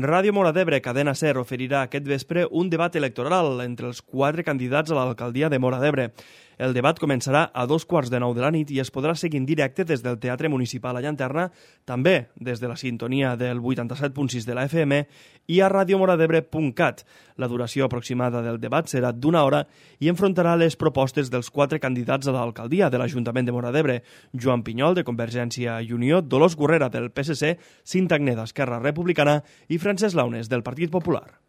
Ràdio Móra d'Ebre, Cadena SER, oferirà aquest vespre un debat electoral entre els 4 candidats a l'alcaldia de Móra d'Ebre. El debat començarà a 2:15 de la nit i es podrà seguir en directe des del Teatre Municipal a Llanterna, també des de la sintonia del 87.6 de la FM i a radiomoradebre.cat. La duració aproximada del debat serà d'1 hora i enfrontarà les propostes dels 4 candidats a l'alcaldia de l'Ajuntament de Móra d'Ebre: Joan Pinyol, de Convergència i Unió, Dolors Gurrera, del PSC, Cinta Agneda, d'Esquerra Republicana i Francesc Launes, del Partit Popular.